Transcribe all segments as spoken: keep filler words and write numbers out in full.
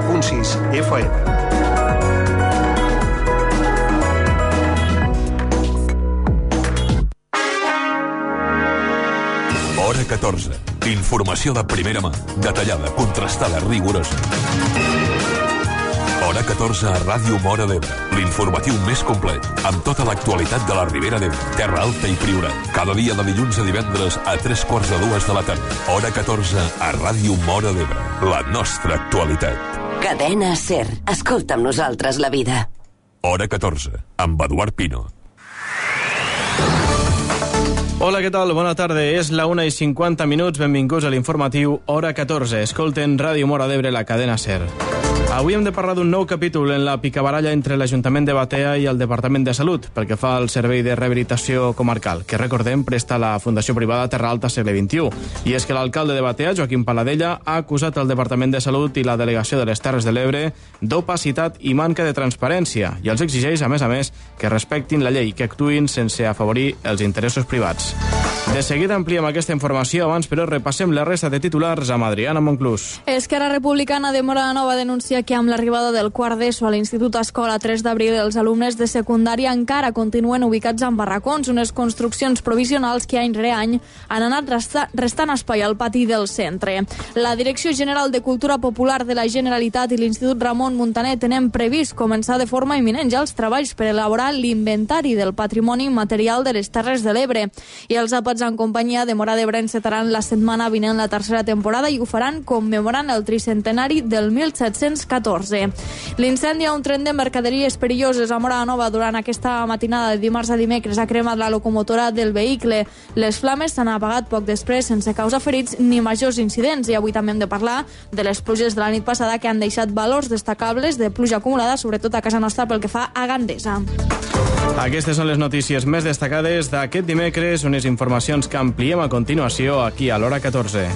punt sis F M. Hora catorze. Informació de primera mà, detallada, contrastada, rigorosa. Hora catorze a Ràdio Móra d'Ebre. L'informatiu més complet, amb tota l'actualitat de la Ribera d'Ebre, Terra Alta i Priorat. Cada dia de dilluns a divendres a tres quarts de dues de la tarda. Hora catorze a Ràdio Móra d'Ebre. La nostra actualitat. Cadena SER. Escolta amb nosaltres la vida. Hora catorze, amb Eduard Pino. Hola, què tal? Bona tarda. És la una i cinquanta minuts. Benvinguts a l'informatiu Hora catorze. Escolten Ràdio Móra d'Ebre, la cadena SER. Avui hem de parlar d'un nou capítol en la picabaralla entre l'Ajuntament de Batea i el Departament de Salut pel que fa al servei de rehabilitació comarcal, que recordem presta la Fundació Privada Terra Alta Segle vint-i-u. I és que l'alcalde de Batea, Joaquim Paladella, ha acusat el Departament de Salut i la Delegació de les Terres de l'Ebre d'opacitat i manca de transparència i els exigeix, a més a més, que respectin la llei, que actuïn sense afavorir els interessos privats. De seguida ampliem aquesta informació, abans però repassem la resta de titulars amb Adriana Monclús. Esquerra Republicana de Móra de Nova denuncia que amb l'arribada del quart d'ESO a l'Institut Escola tres d'abril els alumnes de secundària encara continuen ubicats en barracons, unes construccions provisionals que any rere any han anat resta, restant espai al pati del centre. La Direcció General de Cultura Popular de la Generalitat i l'Institut Ramon Muntaner tenen previst començar de forma imminent ja els treballs per elaborar l'inventari del patrimoni material de les Terres de l'Ebre. I els àpats en companyia de Móra d'Ebre encetaran la setmana vinent la tercera temporada i ho faran commemorant el tricentenari del mil set-cents catorze. L'incendi a un tren de mercaderies perilloses a Móra Nova durant aquesta matinada de dimarts a dimecres ha cremat la locomotora del vehicle. Les flames s'han apagat poc després sense causa ferits ni majors incidents i avui també hem de parlar de les pluges de la nit passada que han deixat valors destacables de pluja acumulada, sobretot a casa nostra pel que fa a Gandesa. Aquestes són les notícies més destacades d'aquest dimecres, unes informacions que ampliem a continuació aquí a l'Hora catorze.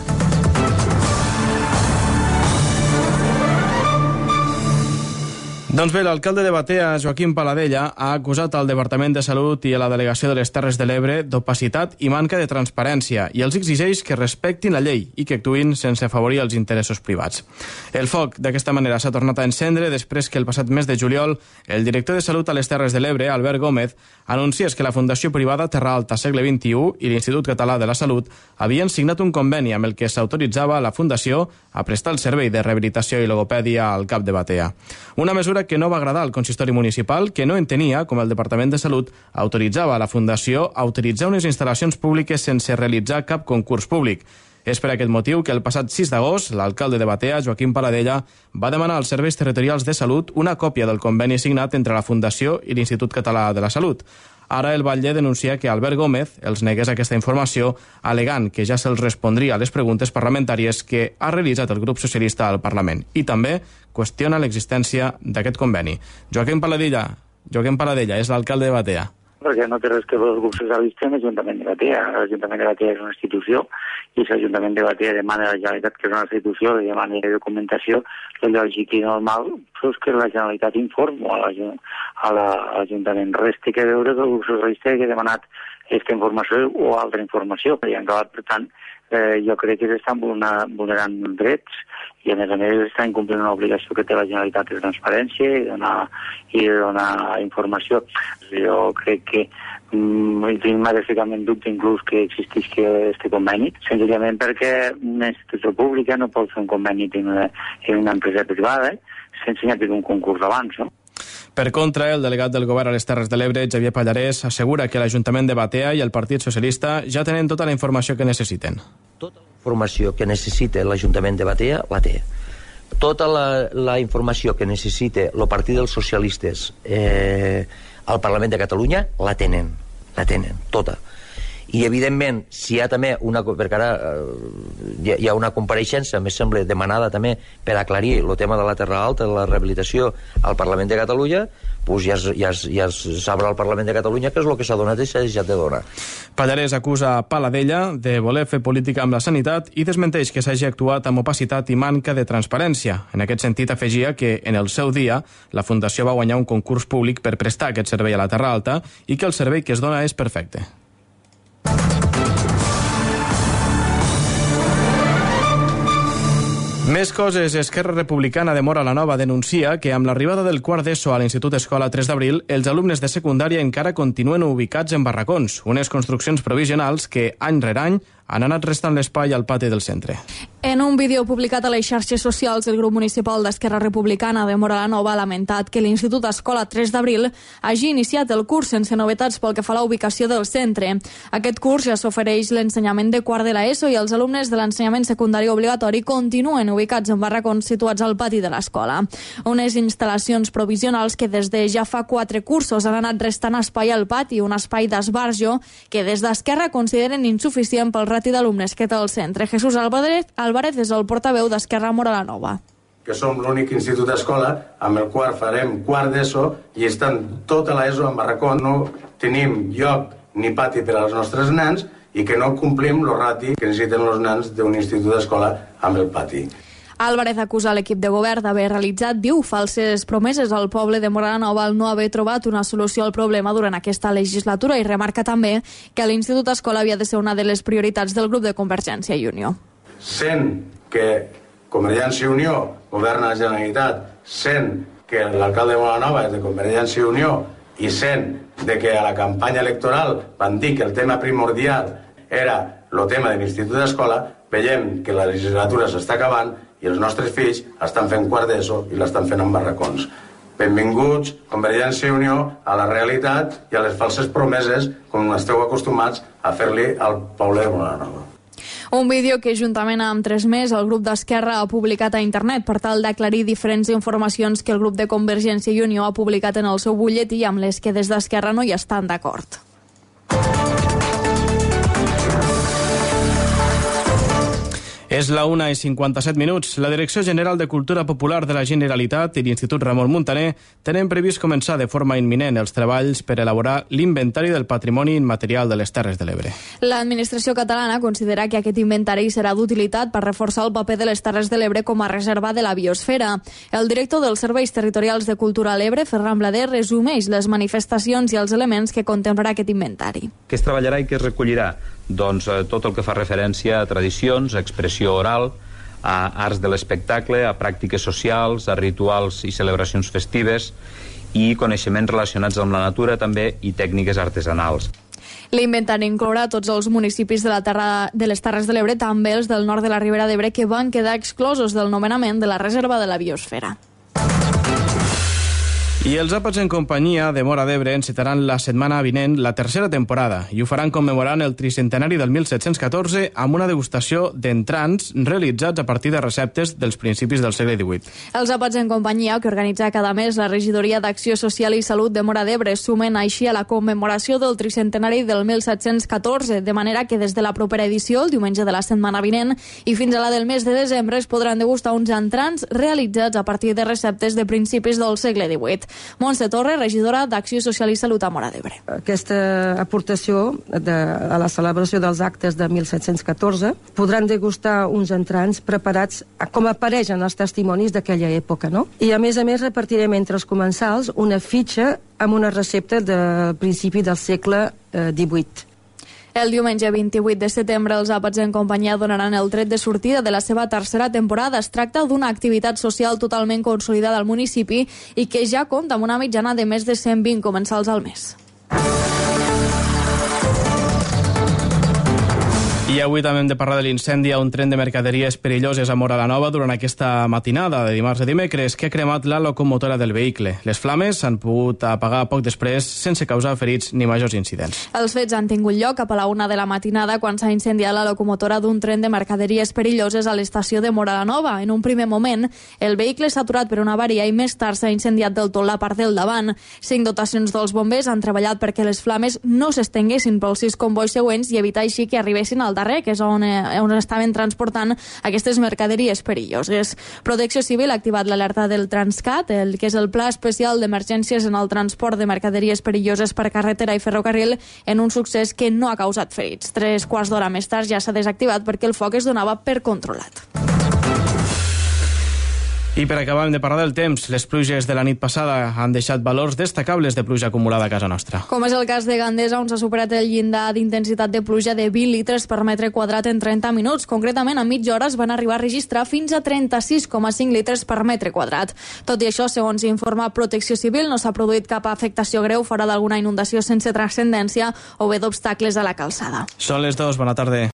Doncs bé, l'alcalde de Batea, Joaquim Paladella, ha acusat al Departament de Salut i a la Delegació de les Terres de l'Ebre d'opacitat i manca de transparència i els exigeix que respectin la llei i que actuïn sense afavorir els interessos privats. El foc, d'aquesta manera, s'ha tornat a encendre després que el passat mes de juliol el director de Salut a les Terres de l'Ebre, Albert Gómez, anunciés que la Fundació Privada Terra Alta Segle vint-i-u i l'Institut Català de la Salut havien signat un conveni amb el que s'autoritzava la Fundació a prestar el servei de rehabilitació i logopèdia al cap de Batea. Una mesura que no va agradar al consistori municipal, que no entenia com el Departament de Salut autoritzava a la Fundació a utilitzar unes instal·lacions públiques sense realitzar cap concurs públic. És per aquest motiu que el passat sis d'agost l'alcalde de Batea, Joaquim Paladella, va demanar als serveis territorials de salut una còpia del conveni signat entre la Fundació i l'Institut Català de la Salut. Ara el batlle denuncia que Albert Gómez els negués aquesta informació, alegant que ja se'ls respondria a les preguntes parlamentàries que ha realitzat el grup socialista al Parlament. I també qüestiona l'existència d'aquest conveni. Joaquim Paladella, Joaquim Paladella és l'alcalde de Batea. Perquè no té res que veure el grup socialista amb l'Ajuntament de Batea. L'Ajuntament de Batea és una institució i si l'Ajuntament de Batea demana a la Generalitat, que és una institució, li demana de documentació, el lògic i normal és que la Generalitat informa a l'Ajuntament. Res té que veure que el grup socialista hagi demanat aquesta informació o altra informació. I en acabat, per tant, eh, jo crec que s'estan vulnerant drets i a més a més estan complint una obligació que té la Generalitat de transparència i de donar, i de donar informació. Jo crec que mm, m'ha de ficar en dubte inclús que existeix aquest conveni, senzillament perquè una institució pública no pot fer un conveni en una, en una empresa privada eh, sense haver un concurs abans, no? Per contra, el delegat del govern a les Terres de l'Ebre, Xavier Pallarès, assegura que l'Ajuntament de Batea i el Partit Socialista ja tenen tota la informació que necessiten. Tota la informació que necessita l'Ajuntament de Batea la té. Tota la, la informació que necessita el Partit dels Socialistes eh, al Parlament de Catalunya la tenen, la tenen, tota. I, evidentment, si hi ha també una... perquè ara eh, hi ha una compareixença, més sembla, demanada també per aclarir el tema de la Terra Alta, de la rehabilitació al Parlament de Catalunya, doncs ja, ja, ja es sabrà al Parlament de Catalunya què és el que s'ha donat i s'ha deixat de donar. Pallarès acusa Paladella de voler fer política amb la sanitat i desmenteix que s'hagi actuat amb opacitat i manca de transparència. En aquest sentit, afegia que, en el seu dia, la Fundació va guanyar un concurs públic per prestar aquest servei a la Terra Alta i que el servei que es dona és perfecte. Més coses. Esquerra Republicana de Móra la Nova denuncia que amb l'arribada del quart d'ESO a l'Institut Escola tres d'abril, els alumnes de secundària encara continuen ubicats en barracons, unes construccions provisionals que, any rere any, han anat restant l'espai al pati del centre. En un vídeo publicat a les xarxes socials, el grup municipal d'Esquerra Republicana de Móra la Nova ha lamentat que l'Institut Escola tres d'abril hagi iniciat el curs sense novetats pel que fa a la ubicació del centre. Aquest curs ja s'ofereix l'ensenyament de quart de l'ESO i els alumnes de l'ensenyament secundari obligatori continuen ubicats en barracons situats al pati de l'escola. Unes instal·lacions provisionals que des de ja fa quatre cursos han anat restant espai al pati, un espai d'esbarjo que des d'Esquerra consideren insuficient pel rati d'alumnes que té el centre. Jesús Álvarez, Álvarez és el portaveu d'Esquerra Móra la Nova. Que som l'únic institut d'escola amb el qual farem quart d'ESO i estan tota l'ESO en barracó. No tenim lloc ni pati per als nostres nens i que no complim el rati que necessiten els nens d'un institut d'escola amb el pati. Álvarez acusa l'equip de govern d'haver realitzat, diu, falses promeses al poble de Móra la Nova al no haver trobat una solució al problema durant aquesta legislatura i remarca també que l'Institut Escola havia de ser una de les prioritats del grup de Convergència i Unió. Sent que Convergència i Unió governa la Generalitat, sent que l'alcalde de Móra la Nova és de Convergència i Unió i sent de que a la campanya electoral van dir que el tema primordial era el tema de l'Institut d'Escola, veiem que la legislatura s'està acabant i els nostres fills estan fent quart d'ESO i l'estan fent en barracons. Benvinguts, Convergència i Unió, a la realitat i a les falses promeses com esteu acostumats a fer-li al poble de Móra la Nova. Un vídeo que, juntament amb tres més, el grup d'Esquerra ha publicat a internet per tal d'aclarir diferents informacions que el grup de Convergència i Unió ha publicat en el seu butlletí amb les que des d'Esquerra no hi estan d'acord. És la una i cinquanta-set minuts. La Direcció General de Cultura Popular de la Generalitat i l'Institut Ramon Muntaner tenen previst començar de forma imminent els treballs per elaborar l'inventari del patrimoni immaterial de les Terres de l'Ebre. L'administració catalana considera que aquest inventari serà d'utilitat per reforçar el paper de les Terres de l'Ebre com a reserva de la biosfera. El director dels Serveis Territorials de Cultura a l'Ebre, Ferran Blader, resumeix les manifestacions i els elements que contemplarà aquest inventari. Què es treballarà i què es recollirà? Doncs eh, tot el que fa referència a tradicions, a expressió oral, a arts de l'espectacle, a pràctiques socials, a rituals i celebracions festives i coneixements relacionats amb la natura també i tècniques artesanals. L'inventari inclourà tots els municipis de, la terra, de les Terres de l'Ebre, també els del nord de la Ribera d'Ebre, que van quedar exclosos del nomenament de la Reserva de la Biosfera. I els Àpats en companyia de Móra d'Ebre encetaran la setmana vinent la tercera temporada i ho faran commemorant el tricentenari del mil set-cents catorze amb una degustació d'entrants realitzats a partir de receptes dels principis del segle divuit. Els Àpats en companyia, que organitza cada mes la Regidoria d'Acció Social i Salut de Móra d'Ebre, sumen així a la commemoració del tricentenari del mil set-cents catorze, de manera que des de la propera edició, el diumenge de la setmana vinent, i fins a la del mes de desembre es podran degustar uns entrants realitzats a partir de receptes de principis del segle divuit. Montse Torre, regidora d'Acció Social i Salut a Móra d'Ebre. Aquesta aportació de, a la celebració dels actes de mil set-cents catorze podran degustar uns entrants preparats com apareixen els testimonis d'aquella època, no? I a més a més repartirem entre els comensals una fitxa amb una recepta del principi del segle eh, divuit. El diumenge vint-i-vuit de setembre els Àpats en companyia donaran el tret de sortida de la seva tercera temporada. Es tracta d'una activitat social totalment consolidada al municipi i que ja compta amb una mitjana de més de cent vint comensals al mes. I avui també hem de parlar de l'incendi a un tren de mercaderies perilloses a Móra la Nova durant aquesta matinada de dimarts a dimecres que ha cremat la locomotora del vehicle. Les flames s'han pogut apagar poc després sense causar ferits ni majors incidents. Els fets han tingut lloc cap a la una de la matinada quan s'ha incendiat la locomotora d'un tren de mercaderies perilloses a l'estació de Móra la Nova. En un primer moment, el vehicle s'ha aturat per una avaria i més tard s'ha incendiat del tot la part del davant. Cinc dotacions dels bombers han treballat perquè les flames no s'estenguessin pels sis convois següents i evitar així que arribessin al darrer, que és on, eh, on estaven transportant aquestes mercaderies perilloses. Protecció Civil ha activat l'alerta del Transcat, el que és el Pla Especial d'Emergències en el transport de mercaderies perilloses per carretera i ferrocarril, en un succés que no ha causat ferits. Tres quarts d'hora més tard ja s'ha desactivat perquè el foc es donava per controlat. I per acabar hem de parlar del temps. Les pluges de la nit passada han deixat valors destacables de pluja acumulada a casa nostra. Com és el cas de Gandesa, on s'ha superat el llindar d'intensitat de pluja de vint litres per metre quadrat en trenta minuts. Concretament, a mitja hora es van arribar a registrar fins a trenta-sis coma cinc litres per metre quadrat. Tot i això, segons informa Protecció Civil, no s'ha produït cap afectació greu fora d'alguna inundació sense transcendència o bé d'obstacles a la calçada. Són les dues, bona tarda.